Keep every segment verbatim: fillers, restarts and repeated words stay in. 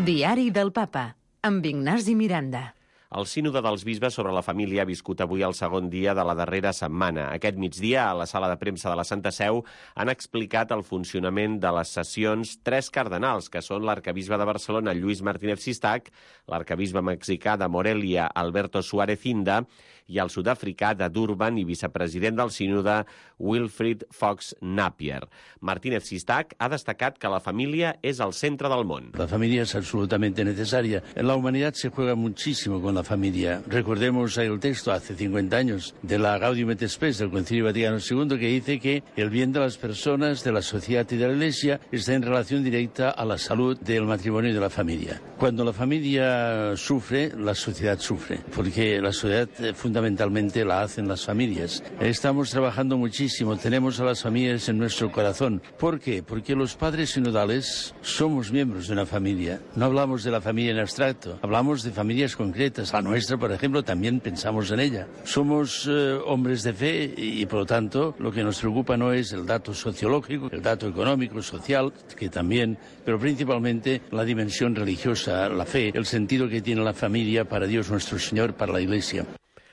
Diari del Papa, amb Ignasi Miranda. El sínode dels bisbes sobre la família ha viscut avui el segon dia de la darrera setmana. Aquest migdia, a la sala de premsa de la Santa Seu, han explicat el funcionament de les sessions tres cardenals, que són l'arcabisbe de Barcelona, Lluís Martínez Sistac, l'arcabisbe mexicà de Morelia, Alberto Suárez Inda, i el sud-africà de Durban i vicepresident del sínode, Wilfrid Fox Napier. Martínez Sistac ha destacat que la família és el centre del món. La familia es absolutamente necesaria. En la humanidad se juega muchísimo con la familia. Recordemos el texto hace cincuenta años de la Gaudium et Spes del Concilio Vaticano segundo, que dice que el bien de las personas, de la sociedad y de la Iglesia está en relación directa a la salud del matrimonio y de la familia. Cuando la familia sufre, la sociedad sufre, porque la sociedad eh, fundamentalmente la hacen las familias. Estamos trabajando muchísimo, tenemos a las familias en nuestro corazón. ¿Por qué? Porque los padres sinodales somos miembros de una familia. No hablamos de la familia en abstracto, hablamos de familias concretas. La nuestra, por ejemplo, también pensamos en ella. Somos eh, hombres de fe y, por lo tanto, lo que nos preocupa no es el dato sociológico, el dato económico, social, que también, pero principalmente la dimensión religiosa, la fe, el sentido que tiene la familia para Dios nuestro Señor, para la Iglesia.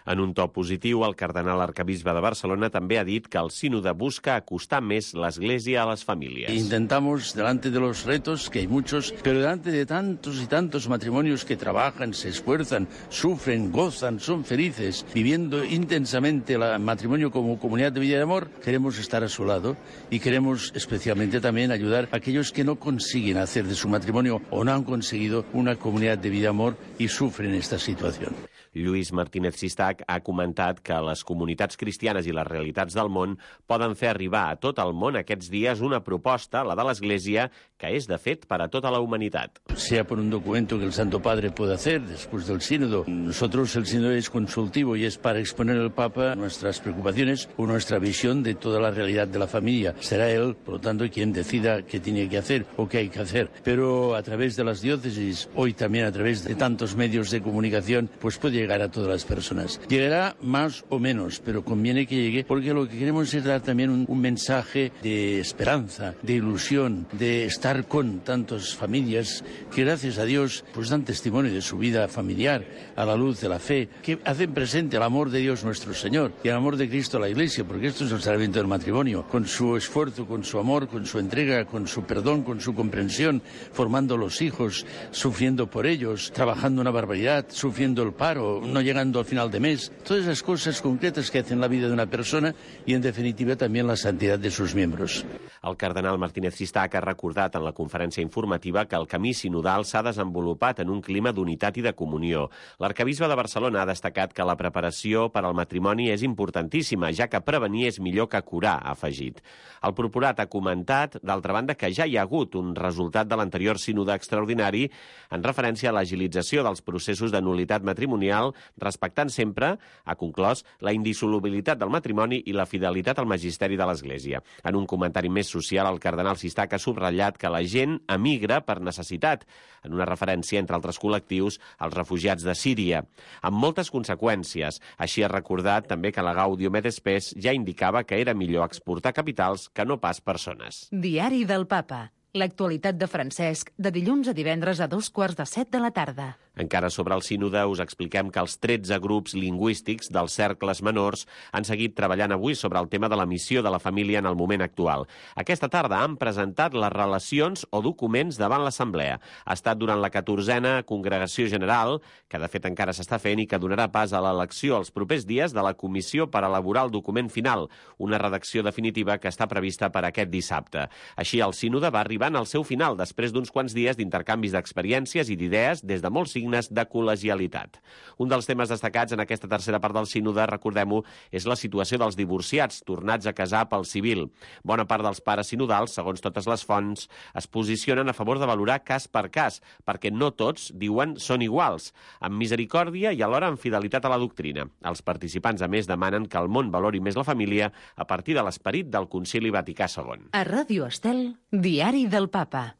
En un to positiu, el cardenal arcabisbe de Barcelona també ha dit que el sínode busca acostar més l'Església a les famílies. Intentamos, delante de los retos, que hay muchos, pero delante de tantos y tantos matrimonios que trabajan, se esfuerzan, sufren, gozan, son felices, viviendo intensamente el matrimonio como comunidad de vida y de amor, queremos estar a su lado y queremos especialmente también ayudar a aquellos que no consiguen hacer de su matrimonio o no han conseguido una comunidad de vida y amor y sufren esta situación. Lluís Martínez Sistac ha comentat que les comunitats cristianes i les realitats del món poden fer arribar a tot el món aquests dies una proposta, la de l'Església, que és, de fet, per a tota la humanitat. Sea por un documento que el Santo Padre puede hacer después del sínodo. Nosotros, el sínodo es consultivo y es para exponer al Papa nuestras preocupaciones o nuestra visión de toda la realidad de la familia. Será él, por lo tanto, quien decida qué tiene que hacer o qué hay que hacer. Pero a través de las diócesis, hoy también a través de tantos medios de comunicación, pues puede llegar a todas las personas. Llegará más o menos, pero conviene que llegue, porque lo que queremos es dar también un, un mensaje de esperanza, de ilusión, de estar con tantas familias que, gracias a Dios, pues dan testimonio de su vida familiar a la luz de la fe, que hacen presente el amor de Dios nuestro Señor y el amor de Cristo a la Iglesia, porque esto es el sacramento del matrimonio, con su esfuerzo, con su amor, con su entrega, con su perdón, con su comprensión, formando los hijos, sufriendo por ellos, trabajando una barbaridad, sufriendo el paro, no llegando al final de mes. Todas esas cosas concretas que hacen la vida de una persona y, en definitiva, también la santidad de sus miembros. El cardenal Martínez Sistac ha recordat en la conferència informativa que el camí sinodal s'ha desenvolupat en un clima d'unitat i de comunió. L'arcabisbe de Barcelona ha destacat que la preparació per al matrimoni és importantíssima, ja que prevenir és millor que curar, ha afegit. El procurat ha comentat, d'altra banda, que ja hi ha hagut un resultat de l'anterior sínode extraordinari en referència a l'agilització dels processos de nul·litat matrimonial, respectant sempre, ha conclòs, la indissolubilitat del matrimoni i la fidelitat al magisteri de l'Església. En un comentari més social, el cardenal Sistac ha subratllat que la gent emigra per necessitat, en una referència, entre altres col·lectius, als refugiats de Síria, amb moltes conseqüències. Així ha recordat també que la Gaudium et Spes ja indicava que era millor exportar capitals que no pas persones. Diari del Papa. L'actualitat de Francesc, de dilluns a divendres a dos quarts de set de la tarda. Encara sobre el sínode us expliquem que els tretze grups lingüístics dels cercles menors han seguit treballant avui sobre el tema de la missió de la família en el moment actual. Aquesta tarda han presentat les relacions o documents davant l'Assemblea. Ha estat durant la catorzena Congregació General, que de fet encara s'està fent i que donarà pas a l'elecció els propers dies de la comissió per elaborar el document final, una redacció definitiva que està prevista per aquest dissabte. Així, el sínode va arribar al seu final, després d'uns quants dies d'intercanvis d'experiències i d'idees des de molts signes de col·legialitat. Un dels temes destacats en aquesta tercera part del sínode, recordem-ho, és la situació dels divorciats tornats a casar pel civil. Bona part dels pares sinodals, segons totes les fonts, es posicionen a favor de valorar cas per cas, perquè no tots, diuen, són iguals, amb misericòrdia i alhora amb fidelitat a la doctrina. Els participants, a més, demanen que el món valori més la família a partir de l'esperit del Concili Vaticà segon. A Ràdio Estel, Diari del Papa.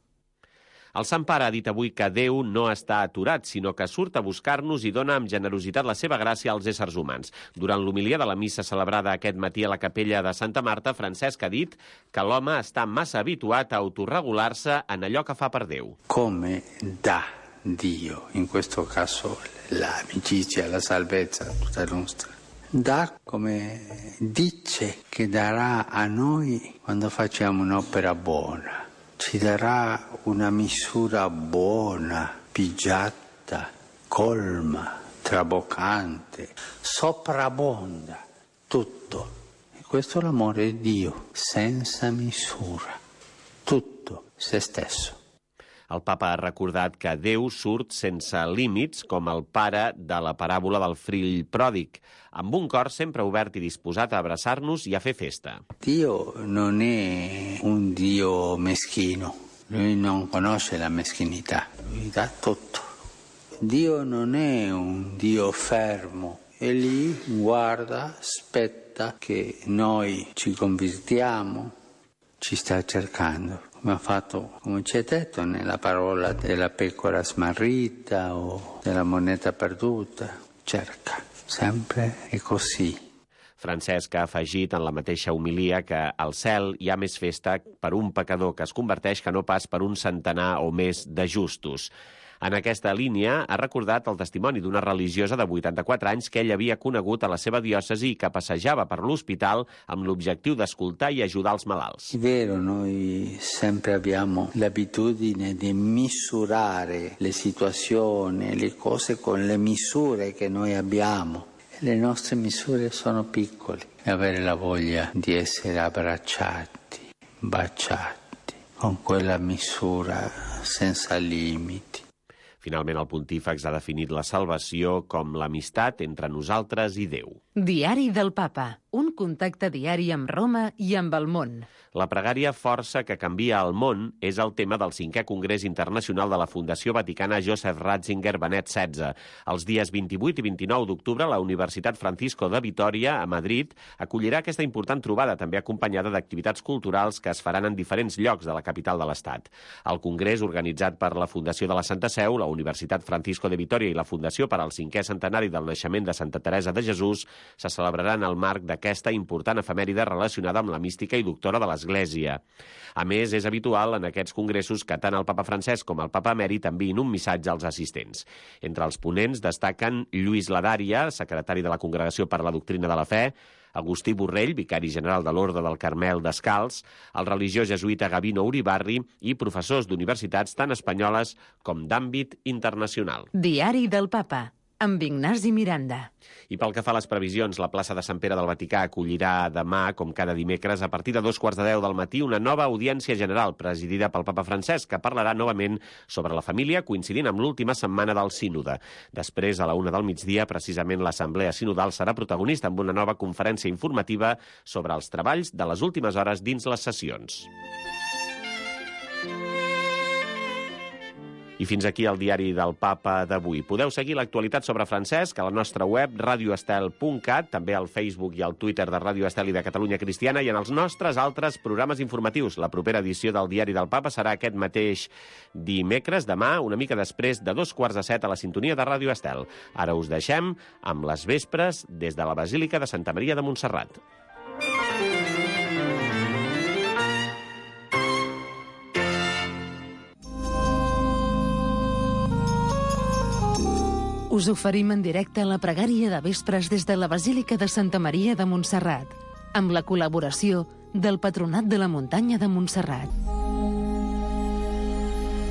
El Sant Pare ha dit avui que Déu no està aturat, sinó que surt a buscar-nos i dona amb generositat la seva gràcia als éssers humans. Durant l'homilia de la missa celebrada aquest matí a la capella de Santa Marta, Francesc ha dit que l'home està massa habituat a autorregular-se en allò que fa per Déu. Come dà Dio, in questo caso l'amicizia, la salvezza, tutta nostra. Dà come dice che darà a noi quando facciamo un'opera buona. Ci darà una misura buona, pigiata, colma, traboccante, soprabbonda, tutto. E questo è l'amore di Dio, senza misura, tutto, se stesso. El papa ha recordat que Déu surt sense límits, com el pare de la paràbola del fill pròdig, amb un cor sempre obert i disposat a abraçar-nos i a fer festa. Dio non è un Dio meschino, lui non conosce la meschinità, lui dà tutto. Dio non è un Dio fermo, è lì, guarda, aspetta che noi ci convertiamo, ci sta cercando. Come ha fatto, come ci è detto nella parola della pecora smarrita o della moneta perduta, cerca, sempre è così. Francesc ha afegit en la mateixa homilia que al cel hi ha més festa per un pecador que es converteix que no pas per un centenar o més de justos. En aquesta línia ha recordat el testimoni d'una religiosa de vuitanta-quatre anys que ell havia conegut a la seva diòcesi i que passejava per l'hospital amb l'objectiu d'escoltar i ajudar els malalts. È vero, noi sempre abbiamo l'abitudine di misurare le situazioni, le cose con le misure che noi abbiamo. E le nostre misure sono piccole. E avere la voglia di essere abbracciati, baciati, con quella misura senza limiti. Finalment, el pontífex ha definit la salvació com l'amistat entre nosaltres i Déu. Diari del Papa, un contacte diari amb Roma i amb el món. La pregària Força que canvia el món és el tema del cinquè Congrés Internacional de la Fundació Vaticana Joseph Ratzinger Benet setze. Els dies vint-i-vuit i vint-i-nou d'octubre, la Universitat Francisco de Vitòria, a Madrid, acollirà aquesta important trobada, també acompanyada d'activitats culturals que es faran en diferents llocs de la capital de l'Estat. El congrés, organitzat per la Fundació de la Santa Seu, la Universitat Francisco de Vitòria i la Fundació per al cinquè centenari del naixement de Santa Teresa de Jesús, se celebrarà en el marc d'aquesta important efemèride relacionada amb la mística i doctora de l'Església. A més, és habitual en aquests congressos que tant el papa Francesc com el papa emèrit enviïn un missatge als assistents. Entre els ponents destaquen Lluís Ladària, secretari de la Congregació per la Doctrina de la Fe, Agustí Borrell, vicari general de l'Orde del Carmel Descalç, el religiós jesuïta Gavino Uribarri i professors d'universitats tant espanyoles com d'àmbit internacional. Diari del Papa, amb Ignasi Miranda. I pel que fa a les previsions, la plaça de Sant Pere del Vaticà acollirà demà, com cada dimecres, a partir de dos quarts de deu del matí, una nova audiència general presidida pel papa Francesc, que parlarà novament sobre la família, coincidint amb l'última setmana del sínode. Després, a la una del migdia, precisament l'Assemblea Sinodal serà protagonista amb una nova conferència informativa sobre els treballs de les últimes hores dins les sessions. I fins aquí el diari del Papa d'avui. Podeu seguir l'actualitat sobre Francesc a la nostra web radio estel punt cat, també al Facebook i al Twitter de Ràdio Estel i de Catalunya Cristiana i en els nostres altres programes informatius. La propera edició del diari del Papa serà aquest mateix dimecres, demà, una mica després de dos quarts de set a la sintonia de Ràdio Estel. Ara us deixem amb les vespres des de la Basílica de Santa Maria de Montserrat. Us oferim en directe la pregària de vespres des de la Basílica de Santa Maria de Montserrat, amb la col·laboració del Patronat de la Muntanya de Montserrat.